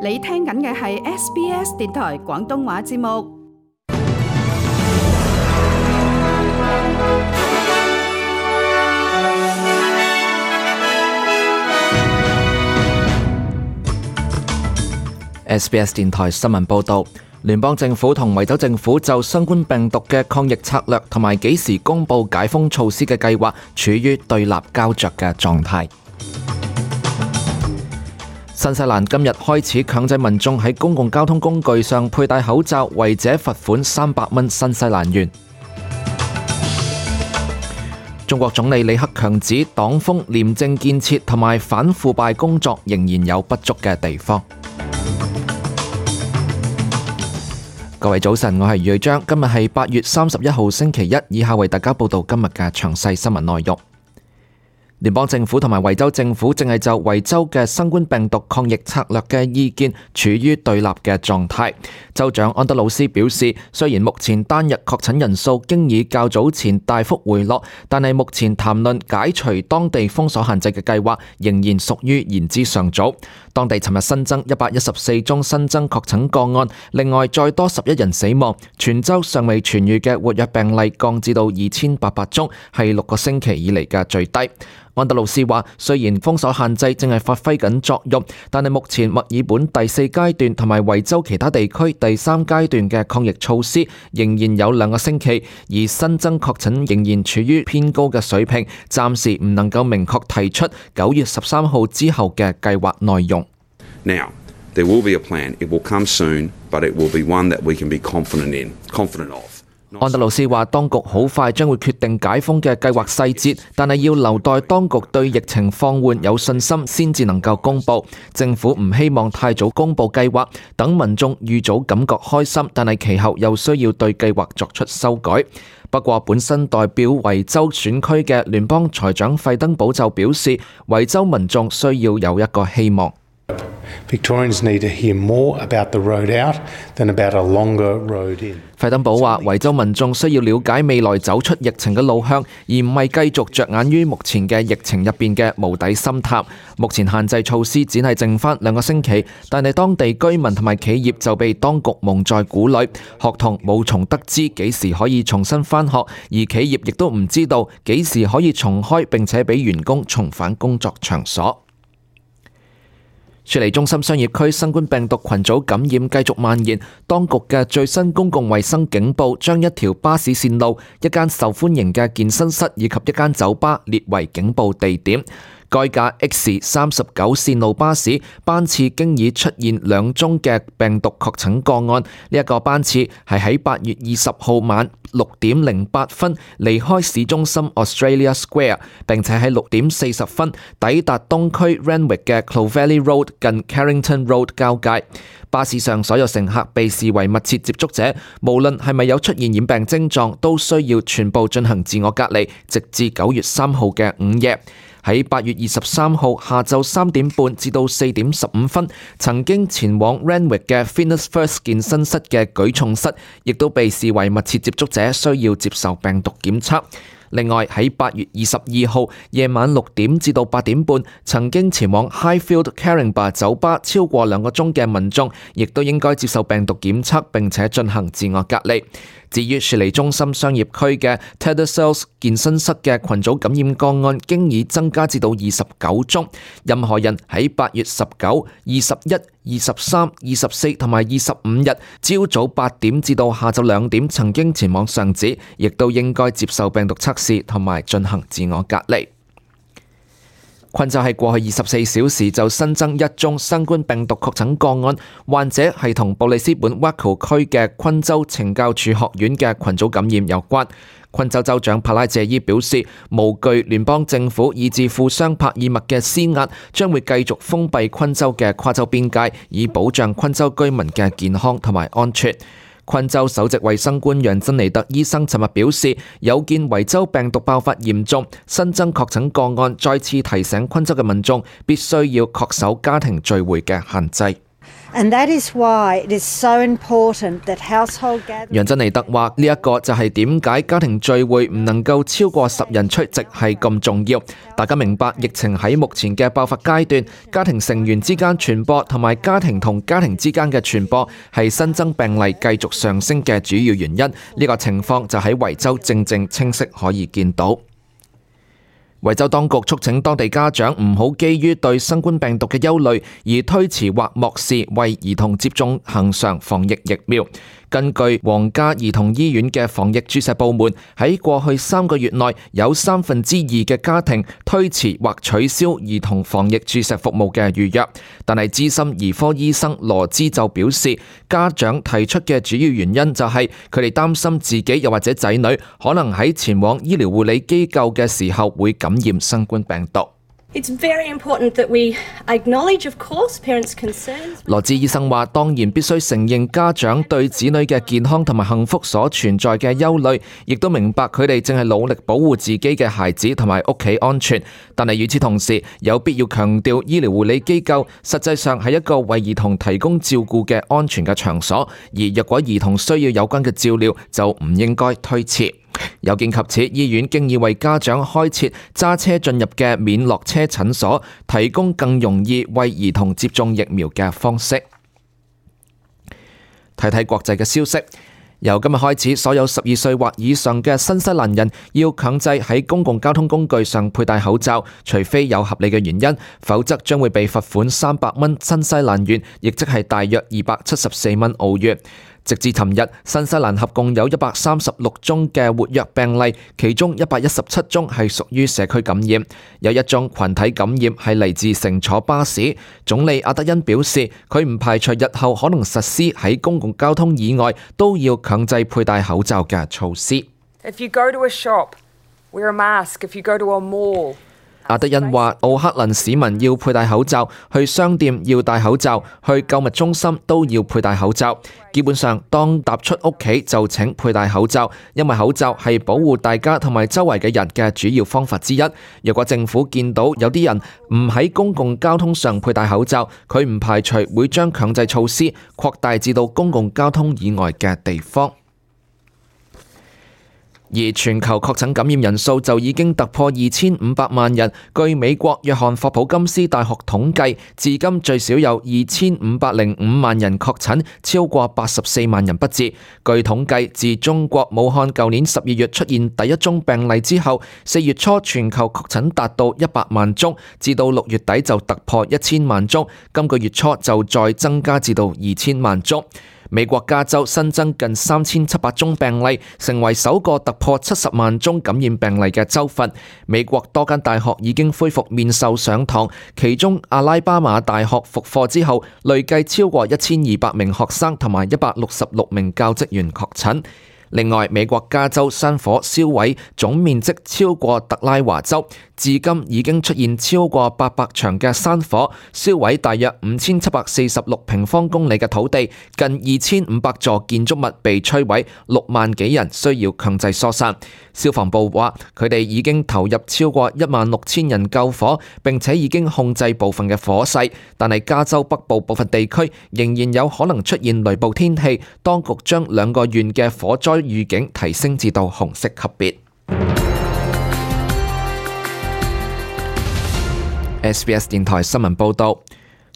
你聽緊嘅係 SBS 電台廣東話節目。SBS 電台新聞報導，聯邦政府同維州政府就新冠病毒嘅抗疫策略同埋幾時公佈解封措施嘅計劃處於對立膠着嘅狀態。新西蘭今日開始強制民眾喺公共交通工具上佩戴口罩，違者罰款300蚊新西蘭元。中國總理李克強指，黨風、廉政建設同埋反腐敗工作仍然有不足嘅地方。各位早晨，我係余瑞章，今日係8月31號星期一，以下為大家報道今日嘅詳細新聞內容。聯邦政府同埋維州政府正係就維州嘅新冠病毒抗疫策略嘅意見處於對立嘅狀態。州長安德魯斯表示，雖然目前單日確診人數經已較早前大幅回落，但係目前談論解除當地封鎖限制嘅計劃仍然屬於言之尚早。當地尋日新增114宗新增確診個案，另外再多11人死亡，全州尚未痊癒嘅活躍病例降至到2800宗，係6個星期以嚟嘅最低。安德魯斯話，雖然封鎖限制正係發揮緊作用，但係目前墨爾本第4階段同埋維州其他地區第3階段嘅抗疫措施仍然有2個星期，而新增確診仍然處於偏高嘅水平，暫時唔能夠明確提出9月13號之後嘅計劃內容。Now, there will be a plan. It will come soon, but it will be one that we can be confident of. 安德魯斯話，當局好快將會決定解封嘅計劃細節，但係要留待當局對疫情放緩有信心先至能夠公佈。政府唔希望太早公佈計劃，等民眾預早感覺開心，但係其後又需要對計劃作出修改。不過，本身代表維州選區嘅聯邦財長費登堡就表示，維州民眾需要有一個希望。Victorians need to hear more about the road out than about a longer road in. 費登堡話，維州民眾需要了解未來走出疫情嘅路向，而唔係繼續着眼於目前嘅疫情入邊嘅無底深潭。目前限制措施只係剩翻2個星期，但係當地居民同埋企業就被當局蒙在鼓裏，學童無從得知幾時可以重新返學，而企業亦都唔知道幾時可以重開，並且俾員工重返工作場所。雪梨中心商業區新冠病毒群組感染繼續蔓延，當局嘅最新公共衛生警報將一條巴士線路、一間受歡迎嘅健身室以及一間酒吧列為警報地點。該架 X39 線路巴士班次經已出現2宗嘅病毒確診個案。呢一個班次係喺8月20號晚6點08分離開市中心 Australia Square， 並且喺6點40分抵達東區 Randwick 嘅 Clovelly Road 近 Carrington Road 交界。巴士上所有乘客被視為密切接觸者，無論係咪有出現染病症狀，都需要全部進行自我隔離，直至9月3號嘅午夜。喺8月23號下晝3點半至到4點15分，曾經前往 Randwick 嘅 Fitness First 健身室嘅舉重室，亦都被視為密切接觸者，需要接受病毒檢測。另外喺8月22號夜晚6點至到8點半，曾經前往 Highfield Caringbah 酒吧超過2個鐘嘅民眾，亦都應該接受病毒檢測並且進行自我隔離。至於雪梨中心商業區嘅 Tattersalls 健身室嘅群組感染個案，經已增加至到29宗。任何人喺8月19、21、23、24同埋25日朝早8點至到下晝2點曾經前往上址，亦都應該接受病毒測試同埋進行自我隔離。昆州喺過去24小時就新增1宗新冠病毒確診個案，患者係同布里斯本 Wacko 區嘅昆州懲教處學院嘅群組感染有關。昆州州長帕拉謝伊表示，無懼聯邦政府以至富商帕爾默嘅施壓，將會繼續封閉昆州嘅跨州邊界，以保障昆州居民嘅健康同埋安全。昆州首席衛生官楊珍尼特醫生尋日表示，有見維州病毒爆發嚴重，新增確診個案再次提醒昆州嘅民眾必須要恪守家庭聚會嘅限制。And that is why it is so important that household gatherings...楊珍妮特話：呢一個就係點解家庭聚會唔能夠超過10人出席係咁重要。大家明白疫情喺目前嘅爆發階段，家庭成員之間傳播同埋家庭同家庭之間嘅傳播係新增病例繼續上升嘅主要原因。呢個情況就喺維州正清晰可以見到。維州當局促請當地家長唔好基於對新冠病毒嘅憂慮而推遲或漠視為兒童接種恆常防疫疫苗。根據皇家兒童醫院嘅防疫注射部門，喺過去3個月內有2/3嘅家庭推遲或取消兒童防疫注射服務嘅預約。但係資深兒科醫生羅茲就表示，家長提出嘅主要原因就係佢哋擔心自己又或者仔女可能喺前往醫療護理機構嘅時候會感染新冠病毒。It's very important that we acknowledge, of course, parents' concerns. 羅茲醫生話：當然必須承認家長對子女嘅健康同埋幸福所存在嘅憂慮，亦都明白佢哋正係努力保護自己嘅孩子同埋屋企安全。但係與此同時，有必要強調醫療護理機構實際上係一個為兒童提供照顧嘅安全嘅場所，而若果兒童需要有關嘅照料，就唔應該推遲。有見及此，醫院經已為家長開設揸車進入嘅免落車診所，提供更容易為兒童接種疫苗嘅方式。睇睇國際嘅消息，由今日開始，所有12歲或以上嘅新西蘭人要強制喺公共交通工具上佩戴口罩，除非有合理嘅原因，否則將會被罰款300蚊新西蘭元，亦即係大約274蚊澳元。直至尋日，新西蘭合共有136宗嘅活躍病例，其中117宗係屬於社區感染，有1宗群體感染係嚟自乘坐巴士。總理阿德恩表示，佢唔排除日後可能實施喺公共交通以外都要強制佩戴口罩嘅措施。If you go to a shop, wear a mask. If you go to a mall,阿德恩話：奧克蘭市民要佩戴口罩，去商店要戴口罩，去購物中心都要佩戴口罩。基本上，當踏出屋企就請佩戴口罩，因為口罩係保護大家同埋周圍嘅人嘅主要方法之一。若果政府見到有啲人唔喺公共交通上佩戴口罩，佢唔排除會將強制措施擴大至到公共交通以外嘅地方。而全球確診感染人數就已經突破2500萬人。據美國約翰霍普金斯大學統計，至今最少有2505萬人確診，超過84萬人不治。據統計，自中國武漢舊年12月出現第一宗病例之後，4月初全球確診達到100萬宗，至到6月底就突破1000萬宗，今個月初就再增加至到2000萬宗。美國加州新增近3700宗病例，成為首個突破70萬宗感染病例嘅州份。美國多間大學已經恢復面授上堂，其中阿拉巴馬大學復課之後，累計超過1200名學生同埋166名教職員確診。另外，美國加州山火燒毀總面積超過特拉華州，至今已經出現超過800場嘅山火，燒毀大約5746平方公里嘅土地，近2500座建築物被摧毀，6萬幾人需要強制疏散。消防部話，佢哋已經投入超過16000人救火，並且已經控制部分嘅火勢，但係加州北部部分地區仍然有可能出現雷暴天氣，當局將2個縣嘅火災預警提升至到紅色級別。SBS 電台新聞報道。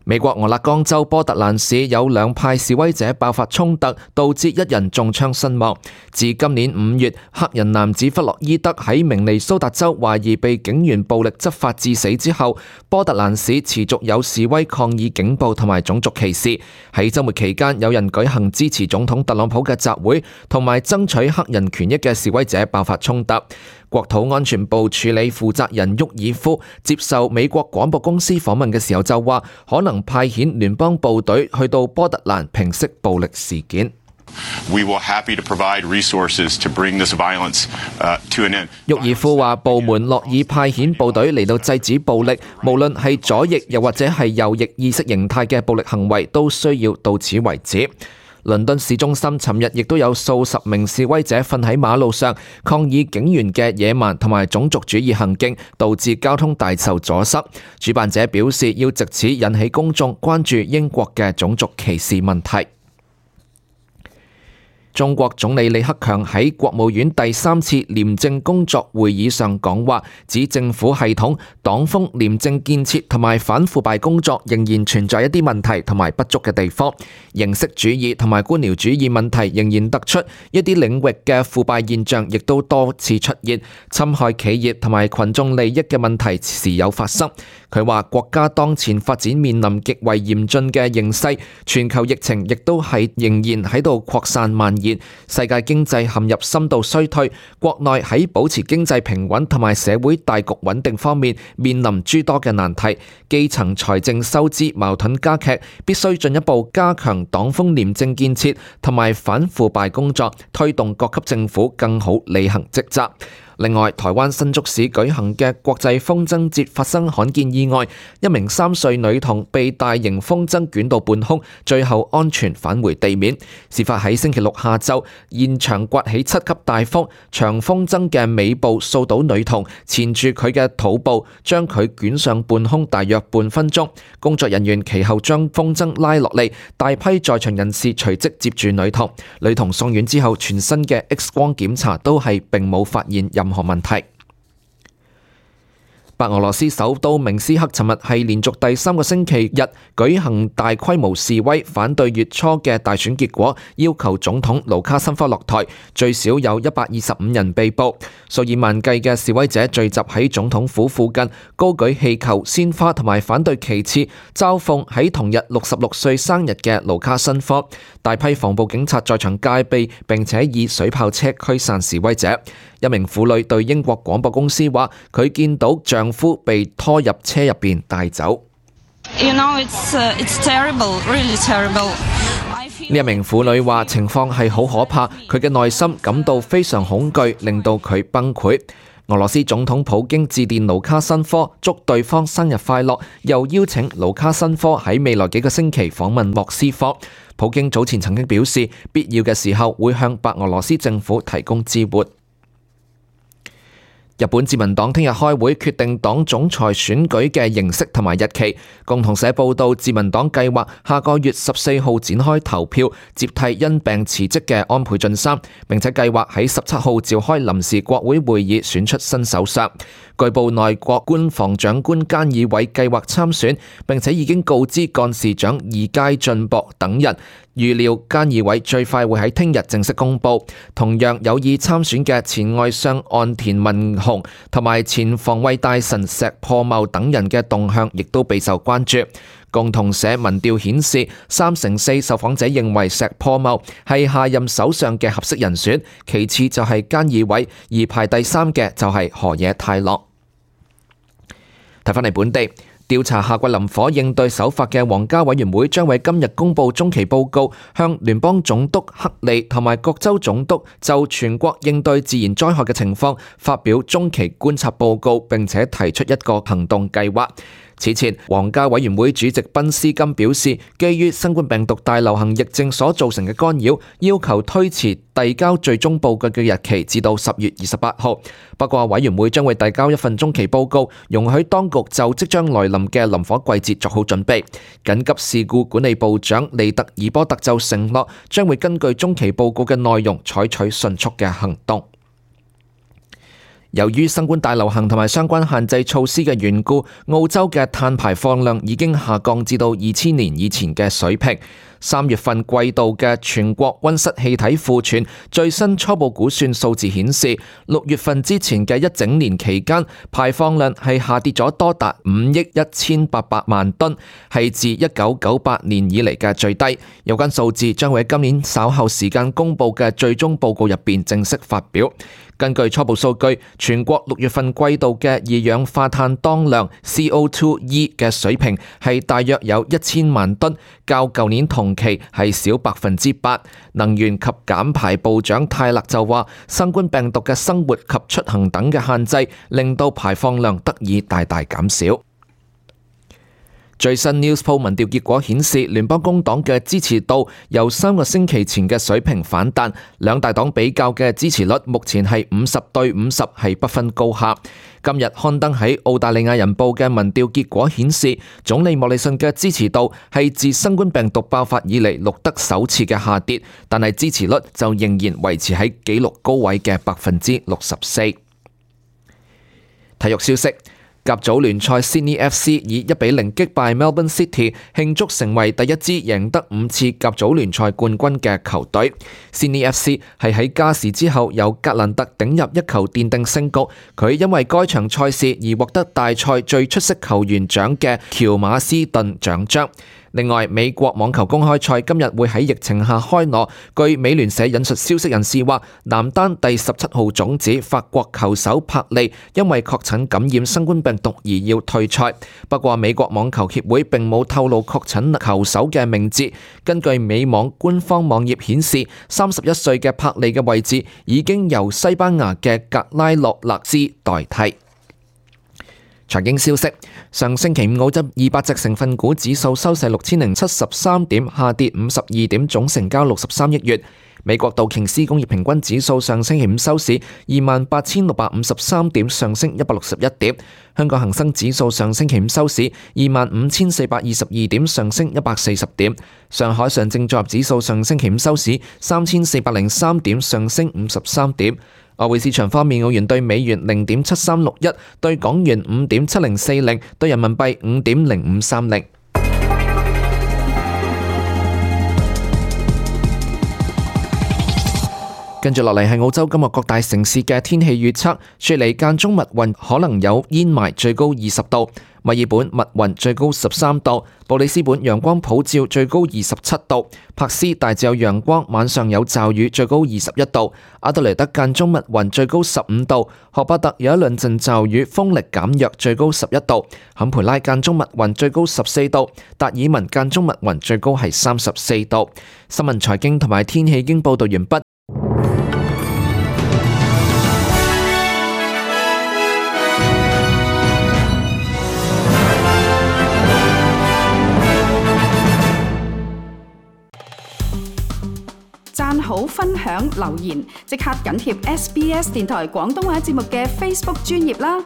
美國俄勒岡州波特蘭市有兩派示威者爆發衝突，導致1人中槍身亡。自今年5月，黑人男子弗洛伊德喺明尼蘇達州懷疑被警員暴力執法致死之後，波特蘭市持續有示威抗議警暴同埋種族歧視。喺週末期間，有人舉行支持總統特朗普嘅集會，同埋爭取黑人權益嘅示威者爆發衝突。國土安全部處理負責人沃爾夫接受美國廣播公司訪問嘅時候就話，可能派遣聯邦部隊去到波特蘭平息暴力事件。We will happy to provide resources to bring this violence to an end. 沃爾夫話，部門樂意派遣部隊嚟到制止暴力，無論係左翼又或者係右翼意識形態嘅暴力行為，都需要到此為止。倫敦市中心尋日亦都有數十名示威者瞓喺馬路上，抗議警員嘅野蠻同埋種族主義行徑，導致交通大受阻塞。主辦者表示要藉此引起公眾關注英國嘅種族歧視問題。中國總理李克強喺國務院第3次廉政工作會議上講話，指政府系統、黨風、廉政建設同埋反腐敗工作仍然存在一啲問題同埋不足嘅地方，形式主義同埋官僚主義問題仍然突出，一啲領域嘅腐敗現象亦都多次出現，侵害企業同埋群眾利益嘅問題時有發生。佢話國家當前發展面臨極為嚴峻嘅形勢，全球疫情亦都係仍然喺度擴散蔓延，世界經濟陷入深度衰退，國內喺保持經濟平穩同埋社會大局穩定方面面臨諸多嘅難題，基層財政收支矛盾加劇，必須進一步加強黨風廉政建設同埋反腐敗工作，推動各級政府更好履行職責。另外，台灣新竹市舉行嘅國際風箏節發生罕見意外，一名3歲女童被大型風箏捲到半空，最後安全返回地面。事發喺星期六下晝，現場颳起7級大風，長風箏嘅尾部掃到女童，纏住佢嘅肚部，將佢捲上半空大約半分鐘。工作人員其後將風箏拉落嚟，大批在場人士隨即接住女童。女童送院之後，全身嘅 X 光檢查都係並冇發現任何問題。白俄羅斯首都明斯克尋日係連續第3個星期日舉行大規模示威，反對月初嘅大選結果，要求總統盧卡申科落台，最少有125人被捕。數以萬計嘅示威者聚集喺總統府附近，高舉氣球、鮮花同埋反對旗幟，嘲諷喺同日66歲生日嘅盧卡申科。大批防暴警察在場戒備，並且以水炮車驅散示威者。一名婦女對英國廣播公司話，佢見到丈夫被拖入車入邊帶走。it's terrible, really terrible. 呢一名婦女話情況係好可怕，佢嘅內心感到非常恐懼，令到佢崩潰。俄羅斯總統普京致電盧卡申科，祝對方生日快樂，又邀請盧卡申科喺未來幾個星期訪問莫斯科。普京早前曾經表示，必要嘅時候會向白俄羅斯政府提供支援。日本自民黨聽日開會決定黨總裁選舉嘅形式同埋日期。共同社報道，自民黨計劃下個月14號展開投票，接替因病辭職嘅安倍晉三，並且計劃喺17號召開臨時國會會議選出新首相。據報內閣官房長官菅義偉計劃參選，並且已經告知幹事長二階俊博等人。預料菅義偉最快會喺聽日正式公佈。同樣有意參選嘅前外相岸田文雄同埋前防衛大臣石破茂等人嘅動向亦都備受關注。共同社民調顯示，34%受訪者認為石破茂係下任首相嘅合適人選，其次就係菅義偉，而排第3嘅就係河野太郎。睇返嚟本地。調查夏季林火應對手法嘅皇家委員會將喺今日公布中期報告，向聯邦總督克利同埋各州總督就全國應對自然災害嘅情況發表中期觀察報告，並且提出一個行動計劃。此前，皇家委員會主席賓斯金表示，基於新冠病毒大流行疫症所造成嘅干擾，要求推遲遞交最終報告嘅日期至到10月28號。不過，委員會將會遞交一份中期報告，容許當局就即將來臨嘅林火季節作好準備。緊急事故管理部長利特爾波特就承諾，將會根據中期報告嘅內容採取迅速嘅行動。由於新冠大流行同埋相關限制措施嘅緣故，澳洲嘅碳排放量已經下降至到2000年以前嘅水平。3月份季度嘅全國溫室氣體庫存最新初步估算數字顯示，6月份之前嘅一整年期間，排放量係下跌咗多達5億1800萬噸，係自1998年以嚟嘅最低。有關數字將會喺今年稍後時間公佈嘅最終報告入邊正式發表。根據初步數據，全國6月份季度嘅二氧化碳當量 CO2e 嘅水平係大約有1000萬噸，較舊年同期係少8%。能源及減排部長泰勒就話，新冠病毒嘅生活及出行等嘅限制，令到排放量得以大大減少。最新 Newspoll 民調結果顯示，聯邦工黨嘅支持度由3個星期前嘅水平反彈，兩大黨比較嘅支持率目前係50-50，係不分高下。今日刊登喺澳大利亞人報嘅民調結果顯示，總理莫里遜嘅支持度係自新冠病毒爆發以嚟錄得首次嘅下跌，但係支持率就仍然維持喺紀錄高位嘅64%。體育消息。甲組聯賽 Sydney FC 以1-0擊敗 Melbourne City， 慶祝成為第一支贏得5次甲組聯賽冠軍嘅球隊。Sydney FC 係喺加時之後由格蘭特頂入一球奠定勝局，佢因為該場賽事而獲得大賽最出色球員獎嘅喬馬斯頓獎章。另外，美國網球公開賽今日會喺疫情下開鑼。據美聯社引述消息人士話，男單第17號種子法國球手帕利因為確診感染新冠病毒而要退賽。不過，美國網球協會並冇透露確診球手嘅名字。根據美網官方網頁顯示，31歲嘅帕利嘅位置已經由西班牙嘅格拉洛勒斯代替。財經消息，上星期五澳洲200隻成分股指數收市6073點，下跌52點，總成交63億元。美國道瓊斯工業平均指數上星期五收市28,653點，上升161點。香港恒生指數上星期五收市25,422點，上升140點。上海上證綜合指數上星期五收市3,403點，上升53點。外匯市場方面，澳元對美元0.7361，對港元5.7040，對人民幣5.0530。跟住落嚟係澳洲今日各大城市嘅天氣預測。雪梨間中密雲，可能有煙霾，最高20度；墨爾本密雲，最高13度；布里斯本陽光普照，最高27度；柏斯大致有陽光，晚上有驟雨，最高21度；阿德萊德間中密雲，最高15度；荷巴特有一兩陣驟雨，風力減弱，最高11度；坎培拉間中密雲，最高14度；達爾文間中密雲，最高係34度。新聞財經同埋天氣已經報道完畢。讚好、分享、留言，即刻緊貼SBS 電台廣東話節目嘅 Facebook 專頁啦！